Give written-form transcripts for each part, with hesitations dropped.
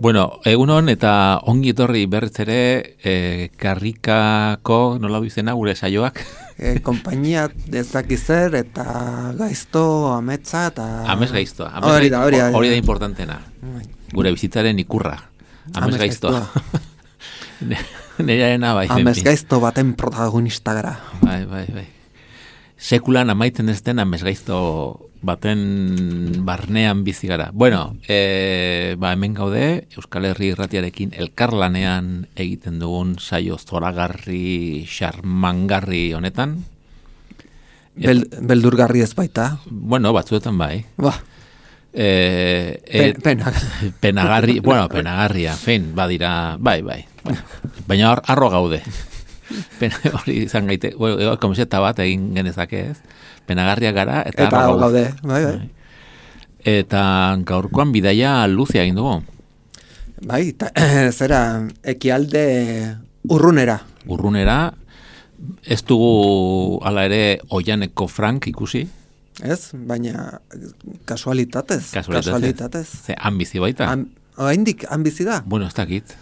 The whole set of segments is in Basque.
Bueno, egunon eta ongi etorri berriz ere karrikako nola izena gure saioak. Konpainia dezakizer eta gaizto ametsa eta... Amets gaizto. Hori da importantena. Gure bizitzaren ikurra. Amets gaizto. Nerearena bai. Amets gaizto baten protagonista gara. Bai. Sekulan amaitzen ez den amets gaizto baten barnean bizi gara. Bueno, hemen gaude, Euskal Herri Irratiarekin elkarlanean egiten dugun saio zoragarri, xarmangarri honetan. Beldurgarri ez baita? Bueno, batzuetan bai. Penagarria, fein, badira, bai. Baina arro gaude. Hori izan gaite, komiseta bat egin genezake ez. Penagarria gara eta arro gaude. Bai. Eta gaurkoan bidaia luzea egin dugu. Bai, zera, ekialde urrunera. Urrunera, ez dugu ala ere Oianeko Frank ikusi. Ez, baina kasualitatez. Ze, han bizi baita? Oraindik han bizi da? Bueno, ez dakit.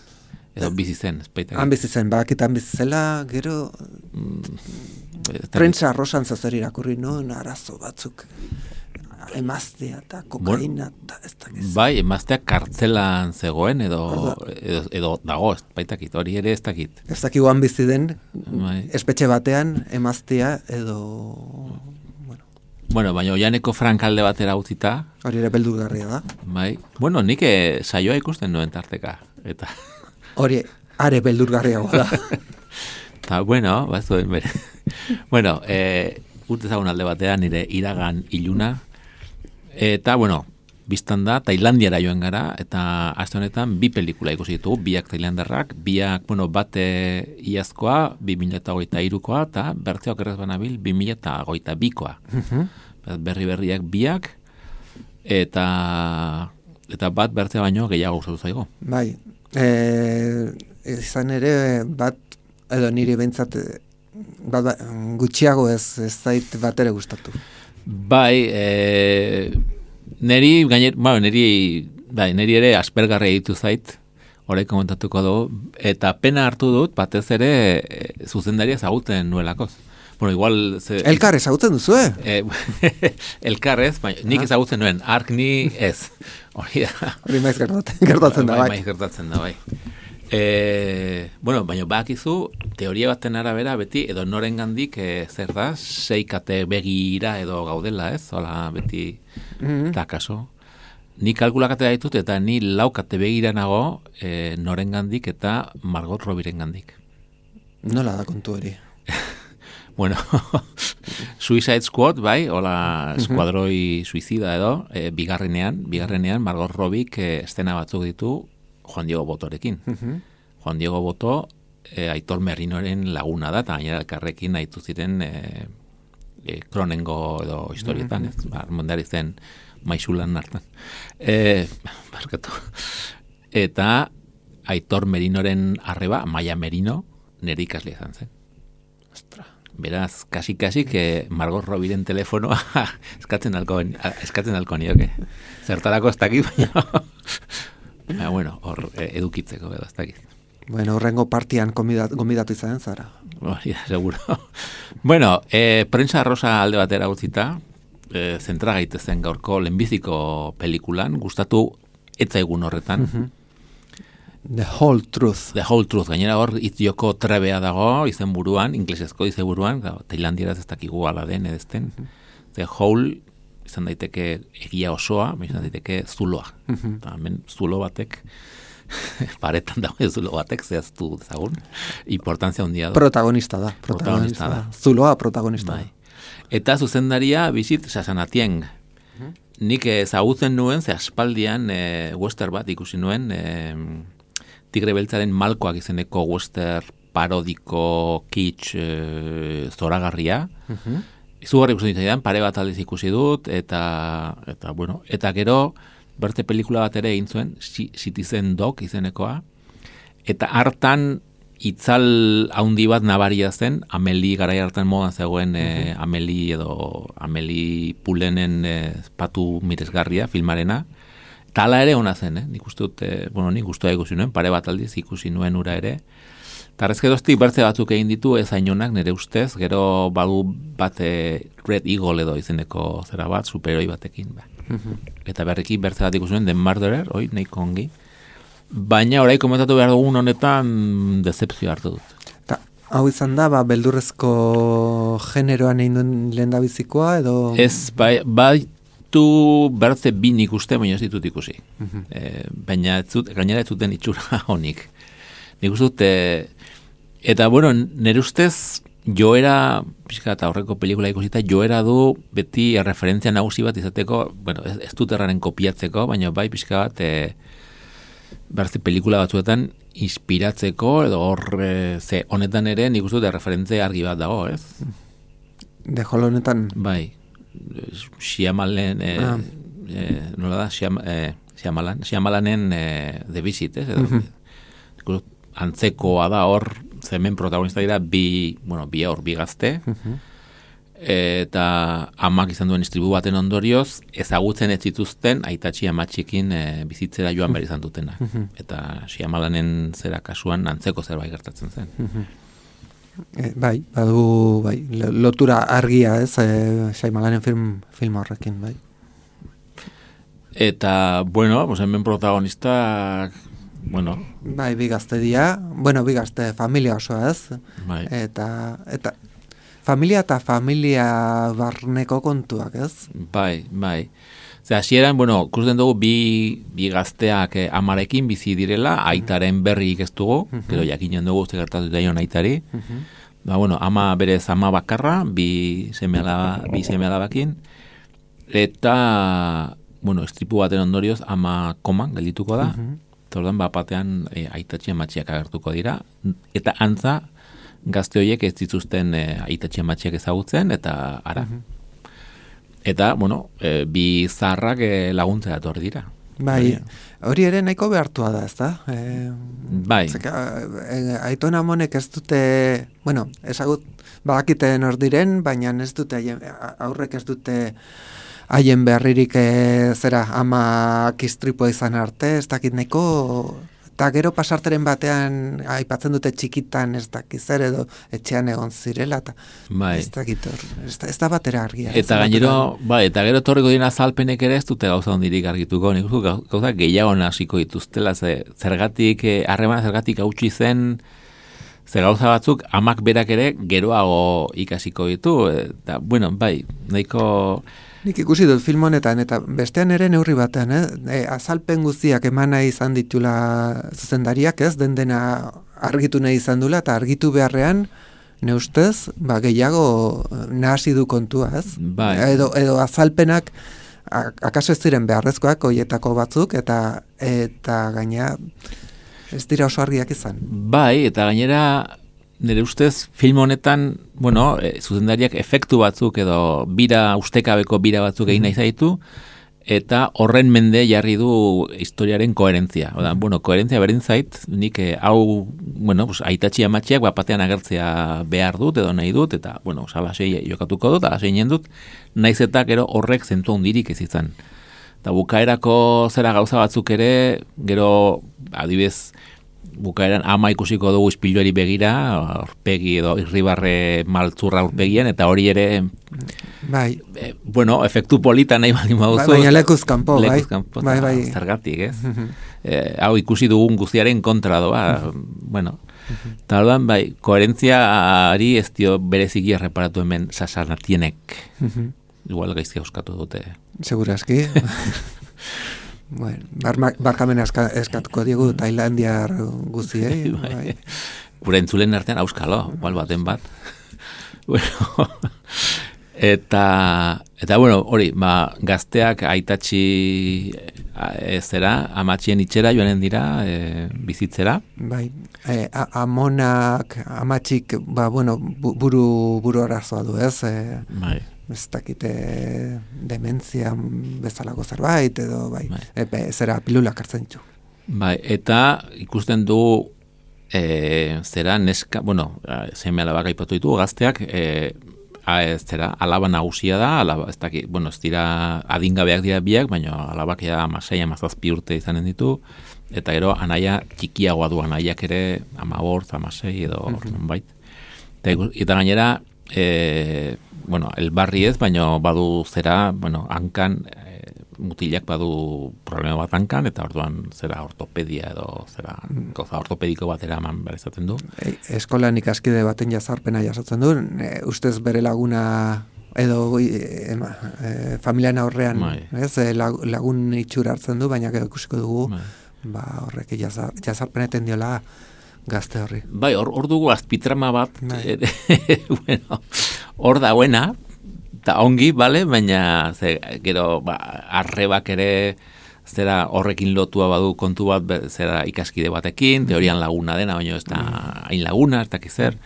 Edo bizi zen, ez baita. Han bizi zen, bakit han bizi zela, gero... Prentsa rosan zazer irakurri, no? Arazo batzuk. Emaztea eta kokaina eta ez dakit. Bai, emaztea kartzelan zegoen edo dago, ez baitakit, hori ere ez dakit. Ez dakit guan bizi den, espetxe batean emaztea edo... Bueno, baina Oianeko Frank alde batera utzita. Hori ere beldurgarria da. Bai. Bueno, nik saioa ikusten nuen tarteka. Eta... Hori, are beldurgarriago da. Ta, bueno, bazuen bere. Bueno, urtezagun alde batean nire iragan iluna. Eta, bueno, biztan da, Tailandiara joan gara, eta aste honetan bi pelikula ikusi ditugu, biak tailandarrak, bate iazkoa, 2023koa, eta bertzeok errez banabil, 2022koa. Berriak biak, eta bat bertzea baino gehiago gustatu zaigo. Bai, izan ere bat, edo niri behintzat gutxiago ez zait bat ere gustatu. Bai, neri ere aspergarria ditu zait, hori komentatuko dugu, eta pena hartu dut, batez ere zuzendaria ezagutzen nuelakoz. Bueno, igual... Elkar ezagutzen duzu, Elkar ez, nik ezagutzen nuen, ark ni ez. Hori da. Hori maiz gertatzen da, bai. Maiz gertatzen da, bai. Bueno, baina bakizu, teoria baten arabera beti, edo noren gandik, zer da, 6 kate begira edo gaudela, ez? Hola, beti, eta kaso. Ni kalkulakate ditut, eta ni 4 kate begira nago noren gandik eta Margot Robbie'ren gandik. Nola da kontu hori? Bueno, Suicide Squad, bai, hola, eskuadroi suizida edo, bigarrenean, Margot Robbie estena batzuk ditu Juan Diego Botorekin. Juan Diego Boto, Aitor Merinoren laguna da, eta gainera elkarrekin aitu ziren Kronengo edo historietan, ez? Armondari zen maixulan hartan. Barkatu. Eta Aitor Merinoren arreba, Maia Merino, nire ikaslea izan zen. Ostra. Beraz, kasi Margot Robbie'ren telefonoa eskatzen alko nioke. Zertarako ez dakit, baina bueno, hor edukitzeko edo ez dakit. Bueno, horrengo partian gombidatu izan zara. Hori da, seguro. Bueno, prensa rosa alde batera utzita, zentra gaitezen gaurko lehenbiziko pelikulan, gustatu etzaigun horretan. The Whole Truth. The Whole Truth. Gainera hor itzioko trebea dago, izen buruan, inglesezko izen buruan, tailandieraz ez dakigu ala den edezten. The Whole izan daiteke egia osoa, izan daiteke zuloa. Eta hemen zulo batek, paretan dago zulo batek, zehaztu dezagun, importantzia handia da. Protagonista da. Zuloa protagonista da. Eta zuzendaria bizit Sasanatieng. nik ezagutzen nuen, ze aspaldian western bat ikusi nuen, Tigre Beltzaren Malkoak izeneko western parodiko kitsch zoragarria. Izugarri ikusten ditzaidan, pare bat aldiz ikusi dut, eta gero, berte pelikula bat ere egin zuen, Citizen Dog izenekoa, eta hartan itzal haundi bat nabaria zen, Amelie garai hartan modan zegoen Amelie Poulainen patu miresgarria filmarena, eta ala ere ona zen, nik uste dut, nik gustua ikusi nuen, pare bat aldiz ikusi nuen ura ere, eta arrezkeroztik bertze batzuk egin ditu ez hainonak nire ustez, gero badu bat Red Eagle edo izeneko zera bat, superheroi batekin. Eta berriki bertze bat ikusi nuen, The Murderer, nahiko ongi, baina orai komentatu behar dugun honetan decepzio hartu dut. Ta, hau izan da, beldurrezko generoan egin duen lehendabizikoa edo... Ez, baitu bertze bi nik uste, baina ez ditut ikusi. Baina gainera ez zuten itxura honik. Nik uste dut, eta bueno, nire ustez joera, pixka eta horreko pelikula ikusita, joera du beti referentzia nagusi bat izateko, bueno, ez dut erraren kopiatzeko, baina bai pixka bat, berzi pelikula batzuetan inspiratzeko, edo ze honetan ere nik uste dut referentzia argi bat dago, ez? De Hall honetan? Bai, Shyamalan, nola da, Shyamalanen The Visit, ez? Antzekoa da hor, zemen protagonista dira bi gazte, eta amak izan duen istribu baten ondorioz, ezagutzen ez zituzten aitatxi amatxikin bizitzera joan behar izan dutena. Eta Shyamalanen zera kasuan antzeko zerbait gertatzen zen. Bai, badu, bai, lotura argia ez, Shyamalanen film horrekin, bai. Eta, bueno, hemen protagonistak, bueno... Bai, bi gazte dira, bi gazte familia osoa ez, bai. Eta familia eta familia barneko kontuak ez? Bai. Hasieran, ikusten dugu bi gazteak amarekin bizi direla, aitaren berrik ez dugu, gero jakinen dugu ze gertatu daion aitari. Ama berez ama bakarra, bi seme alabakin, eta, estripu baten ondorioz ama koman geldituko da, eta ordan batean aitatxi amatxiak agertuko dira, eta antza gazte horiek ez dituzten aitatxi amatxiak ezagutzen, eta ara. Eta, bi zaharrak laguntzea etorri dira. Bai, hori ere nahiko behartua da, ez da? Bai. Aitona monek ez dute, ezagut badakiten hor diren, baina ez dute, aurrek ez dute haien beharririk ama kistripua izan arte, ez dakit nahiko, eta gero pasarteren batean aipatzen dute txikitan ez dakit zer edo etxean egon zirela, eta ez dakit hor, ez da batera argia. Eta gero torriko dira azalpenek ere ez dute gauza ondirik argituko, nik gauza gehiago hasiko dituztela, zergatik, harremana zergatik hautsi zen, ze gauza batzuk amak berak ere geroago ikasiko ditu, eta, bai, nahiko... Nik ikusi dut film honetan, eta bestean ere neurri batean, azalpen guztiak emana izan ditula zuzendariak, ez, dena argitu nahi izan dula, eta argitu beharrean, ne ustez, gehiago nahasi du kontua, ez? Bai. Edo azalpenak, akaso ez ziren beharrezkoak, hoietako batzuk, eta gaina ez dira oso argiak izan. Bai, eta gainera... Nire ustez, film honetan, zuzendariak efektu batzuk edo ustekabeko bira batzuk egin nahi zaitu, eta horren mende jarri du historiaren koherentzia. Koherentzia berdin zait, nik hau, aitatxi amatxiak bapatean agertzea behar dut edo nahi dut, eta, salasei jokatuko dut, alaseinen dut, naiz eta gero horrek zentu handirik ez izan. Eta bukaerako zera gauza batzuk ere, gero, adibez, bukaeran ama ikusiko dugu ispiluari begira, aurpegi edo irribarre maltzurra aurpegian, eta hori ere efektu polita nahi bali mauzu. Baina lekuz kanpo, bai. Zergatik, ez? Hau ikusi dugun guztiaren kontra doa, eta orduan, koherentziari ez dio bereziki erreparatu hemen Sassanatienek. Igual gaizki euskatu dute. Segurazki. Barkamen eskatuko diegu Tailandiar guziei. Gure entzulen artean auskalo, igual baten bat. Eta bueno, hori, gazteak aitatxi zera, amatxien itxera joanen dira, bizitzera. Bai, amonak, amatxik, buru arazoa du, ez? Bai. Ez dakite dementzia bezalako zerbait, edo zera pilulak hartzen ditu. Bai, eta ikusten du zera neska, seme alabak aipatu ditu, gazteak, alaba nagusia da, ez dira adingabeak dira biak, baina alabak ja 16-17 urte izanen ditu, eta gero anaia txikiagoa du, anaiak ere 15, 16 edo bait. Eta gainera, elbarri ez, baina badu zera, hankan, mutilak badu problema bat hankan, eta orduan zera ortopedia edo zera goza ortopediko bat eraman behar izaten du. Eskolan ikaskide baten jazarpena jasotzen du, ustez bere laguna edo familian aurrean, lagun itxura hartzen du, baina gero ikusiko dugu, horrek jazarpeneten diola gazte horri. Bai, hor dugu azpitrama bat, hor dauena, eta ongi, bale, baina gero arrebak ere zera horrekin lotua badu kontu bat zera ikaskide batekin, teorian laguna dena, baina ez da hain laguna, ez dakiz zer,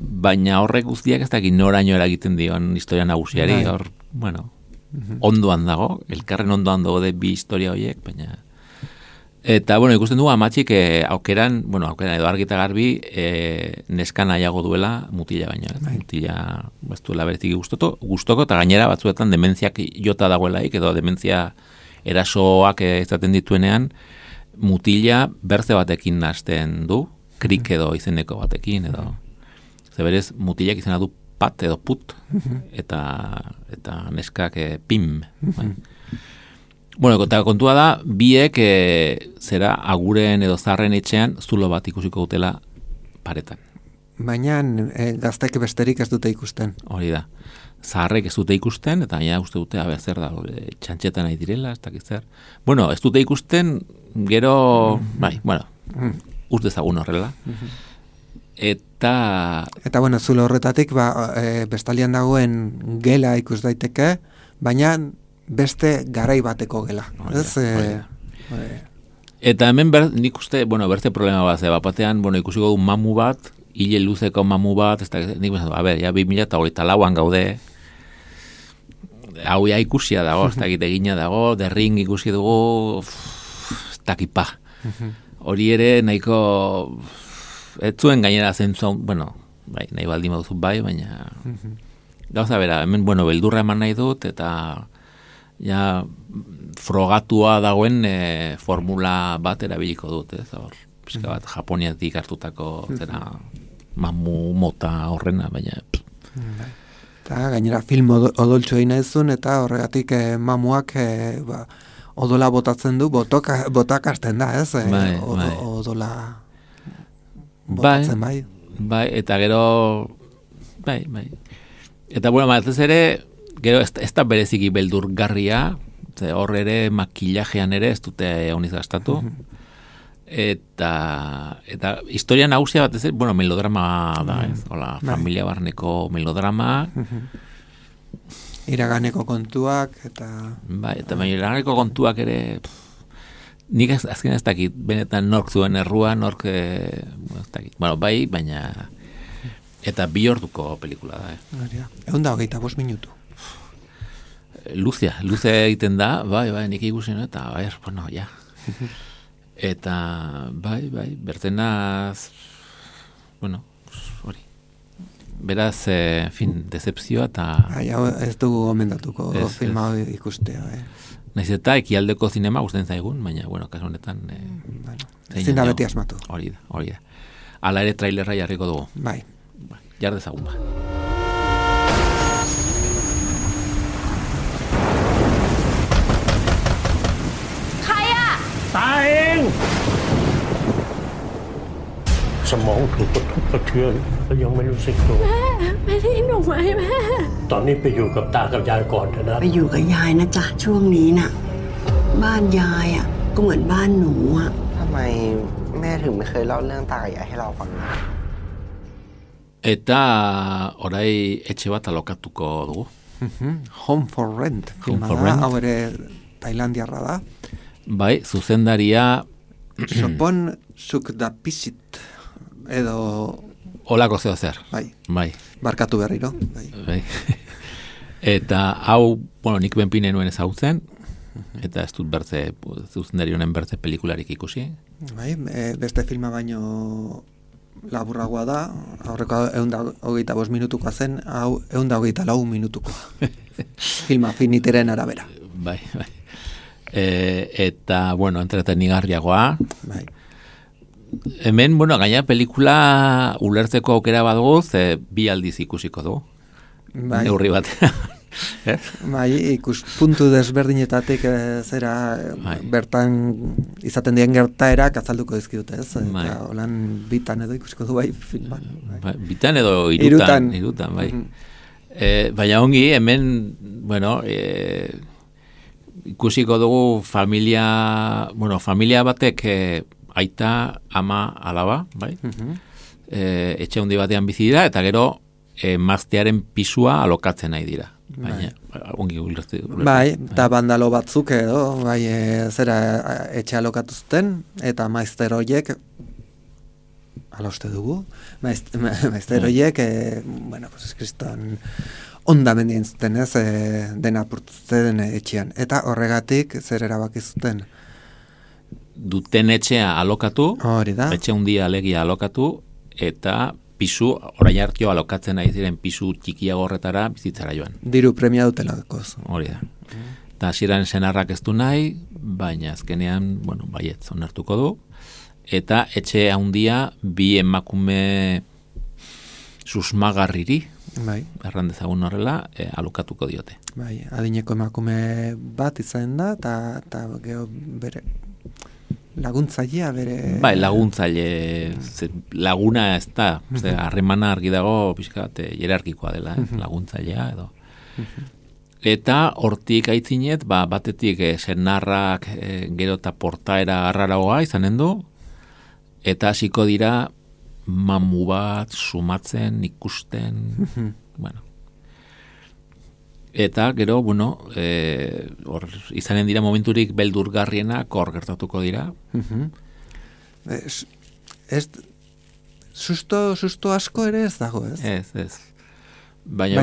baina horrek guztiak ez dakit noraino eragiten dion historia nagusiari, hor, ondoan dago, elkarren ondoan dago de bi historia horiek, baina... Eta, ikusten dugu amatxik aukeran edo argita garbi neska nahiago duela mutila baina. Mutila ez duela beretik gustoko, eta gainera batzuetan dementziak jota dagoelaik, edo dementzia erasoak izaten dituenean, mutila berze batekin nahasten du, krik edo izeneko batekin, edo. Zeberez, mutilak izena du pat edo put, eta neskak pim. Eta kontua da, biek zera aguren edo zarren etxean zulo bat ikusiko dutela paretan. Baina gaztek besterik ez dute ikusten. Hori da. Zaharrek ez dute ikusten, eta ja uste dute, zer da, txantxetan nahi direla, ez dakiz zer. Ez dute ikusten, gero, uste ezagun horrela. Eta zulo horretatik, bestalian dagoen gela ikus daiteke, baina beste garai bateko gela. Eta hemen nik uste, beste problema bat, batean, ikusiko du mamu bat, hile luzeko mamu bat, nik bezan, 2024an gaude, hau ja ikusia dago, ez dakit egina dago, derring ikusi dugu, ez dakipa. Hori ere, nahiko, ez zuen gainera zentzun, nahi baldin baduzu baina, gauza bera, hemen, beldurra eman nahi dut, eta ja frogatua dagoen formula bat erabiliko dut, pizka bat Japoniatik hartutako zera mamu mota horrena, baina eta gainera film odoltsu egin ezun, eta horregatik mamuak odola botatzen du, botak hasten da, ez? Odola botatzen bai. Eta gero bai. Eta ez ere gero ez da bereziki beldurgarria, hor ere makillajean ere ez dute honiz gastatu. Eta historia nagusia bat ez, melodrama da, ez? Hola, familia barneko melodrama. Iraganeko kontuak, eta... eta iraganeko kontuak ere... Nik azken ez dakit, benetan nork zuen errua, nork... ez dakit, baina... Eta 2 orduko pelikula da, 125 minutu. Luze egiten da, nik ikusi, eta, ja. Eta, bertenaz, hori. Beraz, decepzioa eta... Ez dugu gomendatuko filma ikustea, Naiz eta ekialdeko zinema gusten zaigun, baina, kasu honetan... Ezin da beti asmatu. Hori da. Hala ere trailerra jarriko dugu. Bai. Jar dezagun ba.ตาเองสมองถูกกระทบกระเทือนแล้วยังไม่รู้สึกตัว ไม่ได้หนูไหมแม่ ตอนนี้ไปอยู่กับตากับยายก่อนเถอะนะ ไปอยู่กับยายนะจ๊ะช่วงนี้น่ะบ้านยายอ่ะก็เหมือนบ้านหนูอ่ะ ทำไมแม่ถึงไม่เคยเล่าเรื่องตากับยายให้เราฟังนะ Eta orai etxe bat alokatuko dugu. Home for Rent. Home for da, Rent. hau ere Tailandiarra da. Bai, zuzendaria Sopon Sukdapisit edo olako zeo zer. bai, barkatu berriro. Bai. Eta hau, bueno, nik benpine nuen ezagutzen, eta ez dut bertze, zuzendari honen bertze pelikularik ikusi. Bai, beste filma baino laburragoa da, aurreko 125 minutukoa zen, hau 124 minutukoa. Filma finiteren arabera. Bai. Eta, bueno, entretenigarriagoa. Bai. Hemen, bueno, gaina pelikula ulertzeko aukera badugu, ze bi aldiz ikusiko du. Bai. Neurri batean. Bai, ikuspuntu desberdinetatik zera bertan izaten dien gertaerak azalduko dizkidute, ez? Eta holan bitan edo ikusiko du bai filman. Bai, bitan edo irutan bai. Baina ongi, hemen, bueno, ikusiko dugu familia batek aita, ama, alaba, bai? Etxe handi batean bizi dira, eta gero emaztearen pisua alokatzen nahi dira. Baina, ongi ulertu. Bai, eta bandalo batzuk edo, bai, zera etxe alokatu zuten, eta maizter horiek, ala uste dugu, maizter horiek, bueno, pues kriston ondamendien zuten, ez, dena apurtu zuten etxean. Eta horregatik zer erabaki zuten? Duten etxea alokatu, hori da. Etxe handia alegia alokatu, eta pisu, orain hartio alokatzen nahi ziren pisu txikiago horretara bizitzara joan. Diru premia dutelakoz. Hori da. Eta hasieran senarrak ez du nahi, baina azkenean, bueno, baiet, onartuko du. Eta etxe handia bi emakume susmagarriri, bai, erran dezagun horrela, alokatuko diote. Bai, adineko emakume bat izan da, eta gero bere laguntzailea bere... Bai, laguntzaile, laguna ez da, harremana argi dago pixka bat hierarkikoa dela, laguntzailea edo. Eta hortik aitzinet, batetik senarrak gero eta portaera arraragoa izanen du, eta hasiko dira mamu bat sumatzen, ikusten, bueno. Eta gero, bueno, hor izanen dira momenturik beldurgarrienak hor gertatuko dira. Susto asko ere ez dago, ez? Ez. Baina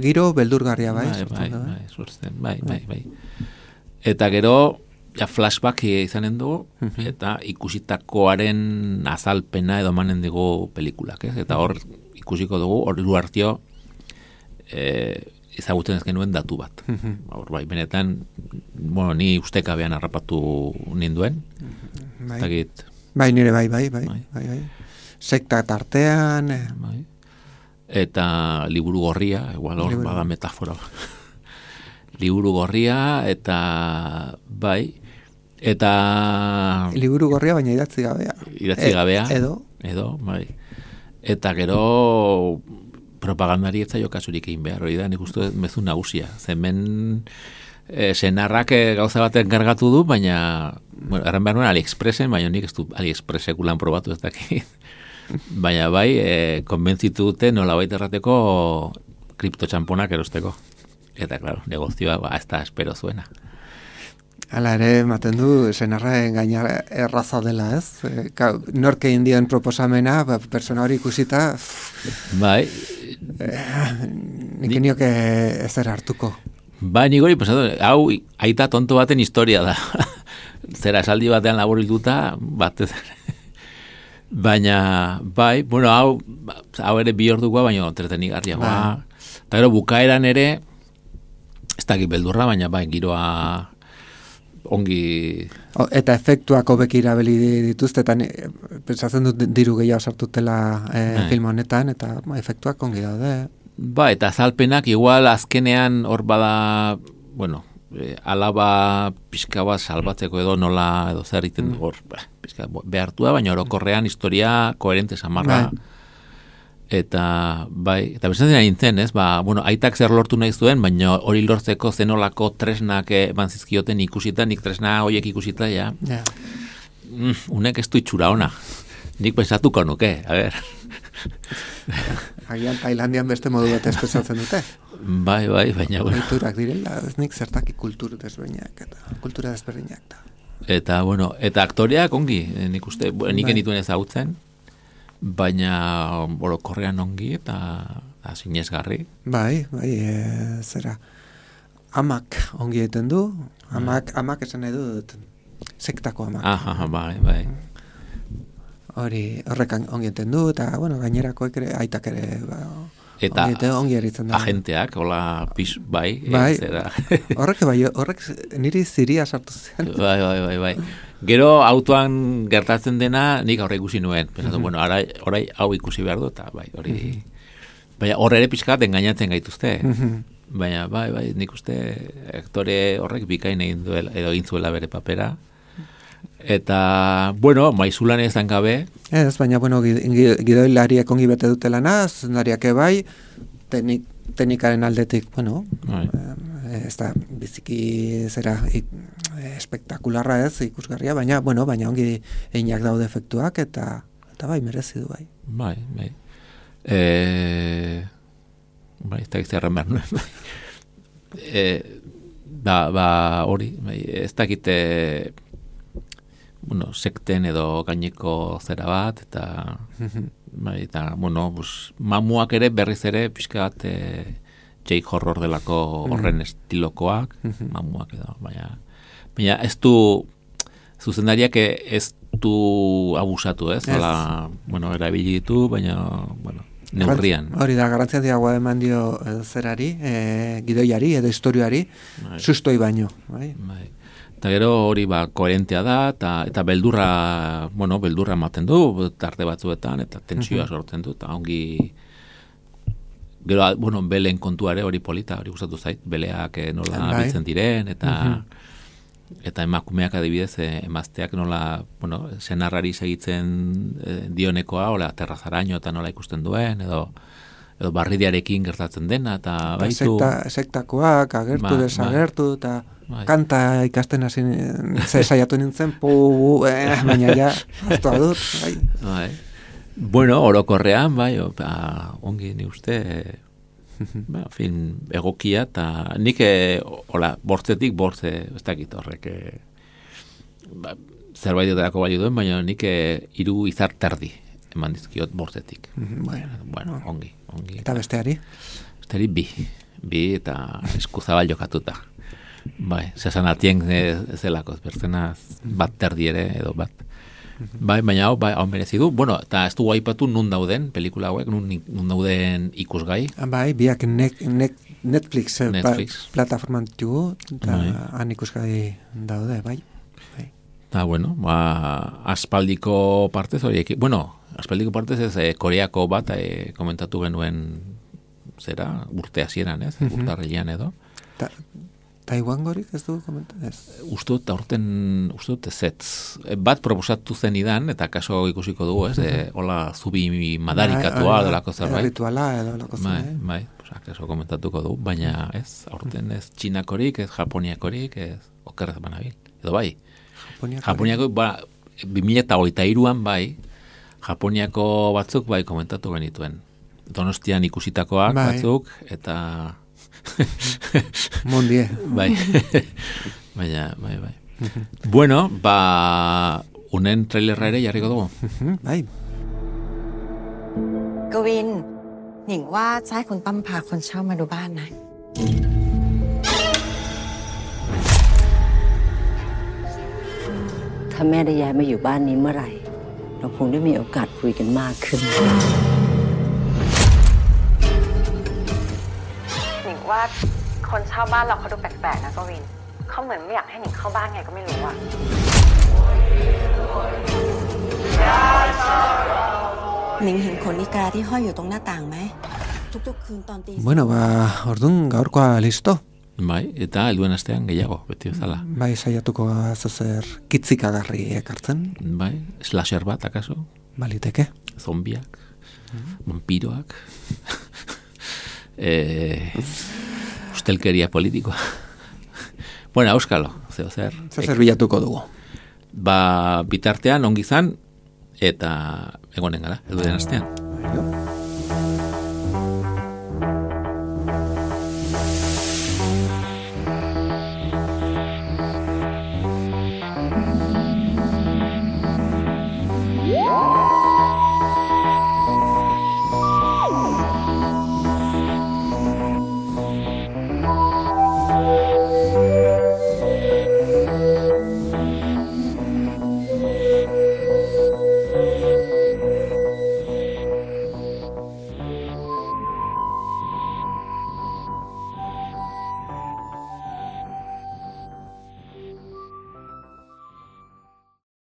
giro beldurgarria bai. Bai. Eta gero, ja flashback izanen dugu, eta ikusitakoaren azalpena edo manen dugu pelikulak, ez? Eta hor ikusiko dugu, hor hartio, ezagutzen ez genuen datu bat. Hor bai, benetan, bueno, ni ustekabean harrapatu ninduen. Bai, nire bai. Sekta tartean. Bai. Eta liburu gorria, igual hor bada metafora. Liburu gorria, eta bai, eta... Liburu gorria, baina idatzi gabea. Idatzi gabea. Edo, bai. Eta gero... propagandari ez zaio kasurik egin behar, hori da, nik uste mezu nagusia. Zemen senarrak gauza baten kargatu du, baina, bueno, erran behar nuen AliExpressen, baina nik ez du AliExpressekulan probatu ez dakit. Baina bai, konbentzitu dute nola baita errateko kriptotxamponak erosteko. Eta, klaro, negozioa ez da espero zuena. Hala ere, ematen du, senarren gaina erraza dela, ez? Norke indien proposamena, persona hori ikusita... Bai. Nik nioke ezer hartuko. Bai, nik hori, hau aita tonto baten historia da. Zera esaldi batean laburilduta, batez. Baina, bai, bueno, hau ere bi ordukoa, baina entretenigarriagoa. Eta gero, bukaeran ere, ez dakit beldurra, baina bai, giroa... ongi... Eta efektuak hobeki erabili dituzte, eta pentsatzen dut diru gehiago sartutela film honetan, eta efektuak ongi daude. Ba, eta azalpenak igual azkenean hor bada, bueno, alaba pixka bat salbatzeko edo nola edo zer egiten hor, pixka behartu da, baina orokorrean historia koherente samarra. Eta, bai, eta bezatzen nintzen, ez? Bueno, aitak zer lortu nahi zuen, baina hori lortzeko zenolako tresnak eman zizkioten ikusita, nik tresna horiek ikusita, ja. Unek ez du itxura ona. Nik pensatuko nuke, a ber. Agian Tailandian beste modu bat espezatzen dute. Bai, baina bueno. Kulturak direla, ez nik zertaki kultura desberdinak da. Eta, bueno, eta aktoreak ongi, nik uste, nik genituen ezagutzen, baina orokorrean ongi eta sinesgarri. Bai, zera. Amak ongi egiten du, amak esan nahi dut, sektako amak. Bai. Horrek ongi egiten du, eta, bueno, gainerako aitak ere, eta ongi eritzen da. Agenteak, hola, bai. Zera. Horrek niri ziria sartu zen. Bai. Gero autoan gertatzen dena, nik aurre ikusi nuen. Pensatu, bueno, orai hau ikusi behar du, eta bai, hori... Baina horre ere pixkat engainatzen gaituzte. Baina, bai, nik uste aktore horrek bikain egin duela, edo egin zuela bere papera. Eta, bueno, maizulan ez dan gabe. Ez, baina, bueno, gidoilariak ongi bete dutela zuzendariak bai, teknikaren aldetik, bueno, ez da biziki zera espektakularra ez, ikusgarria, baina ongi eginak daude efektuak, eta bai, merezi du bai. Bai. Bai, ez da gizarren behar nuen. Hori, ez dakite sekten edo gaineko zera bat, eta mamuak ere berriz ere pixkat J-horror delako horren estilokoak, mamuak edo, baina ez du zuzendariak ez du abusatu, ez? Erabili ditu, baina, neurrian. Hori da, garrantzia diagoa eman dio zerari, gidoiari edo historioari, sustoi baino. Bai. Eta gero hori koherentea da, eta beldurra ematen du, tarte batzuetan, eta tentsioa sortzen du, eta ongi... Gero, belen kontuare hori polita, hori gustatu zait, beleak nola biltzen diren, eta emakumeak adibidez, emazteak nola, senarrari segitzen dionekoa, hola, terrazaraino eta nola ikusten duen, edo barridiarekin gertatzen dena, eta baitu... Sektakoak, agertu, desagertu, eta kanta ikasten hasi saiatu nintzen, baina ja, hartua dut, bai. Bueno, orokorrean, bai, ongi ni uste, film egokia, eta nik, bortzetik, ez dakit horrek, zerbait edarako bali duen, baina nik 3 izar terdi eman dizkiot bortzetik. Bueno, ongi. Eta besteari? Besteari 2 eta eskuzabal jokatuta. Bai, zesan atien zelako, berzenaz bat terdi ere, edo bat. Bai, baina hau merezi du. Bueno, eta ez dugu aipatu nun dauden, pelikula hauek, nun dauden ikusgai. Bai, biak Netflix plataforman ditugu, eta han ikusgai daude, bai. Eta, bueno, aspaldiko partez horiek, aspaldiko partez ez Koreako bat komentatu genuen zera, urte hasieran, ez? Urtarrilean edo. Taiwan gorik ez dugu komentan? Ustut ezetz. Bat proposatu zen idan, eta kaso ikusiko dugu, ez? Hola, zubi madarikatua delako zerbait. Rituala edo delako zerbait. Bai, kaso komentatuko dugu, baina ez, aurten ez txinakorik, ez japoniakorik, ez okerrez banabil. Edo bai. Japoniako, 2023an bai, Japoniako batzuk bai komentatu genituen. Donostian ikusitakoak batzuk, eta... Mondie. Bai. Baina, bai. Bueno, unen trailerra ere jarriko dugu. Bai. กวินหนิงว่าจะให้คุณตั้มพาคนเช่ามาดูบ้านนะ ถ้าแม่ได้ย้ายมาอยู่บ้านนี้เมื่อไหร่เราคงได้มีโอกาสคุยกันมากขึ้น หนิงว่าคนเช่าบ้านเราเขาดูแปลกๆนะกวินเขาเหมือนไม่อยากให้หนิงเข้าบ้านไงก็ไม่รู้อะ หนิงเห็นขนอีกาที่ห้อยอยู่ตรงหน้าต่างไหมทุกๆคืนตอนตี Bueno, ordun gaurkoa listo. Bai, eta helduen astean gehiago, beti bezala. Bai, saiatuko zer kitzikagarri ekartzen. Bai, slasher bat, akaso? Baliteke. Zombiak, vampiroak, ustelkeria politikoa. Bueno, auskalo, zer bilatuko dugu. Bitartean, ongizan, eta egonen gara, helduen astean.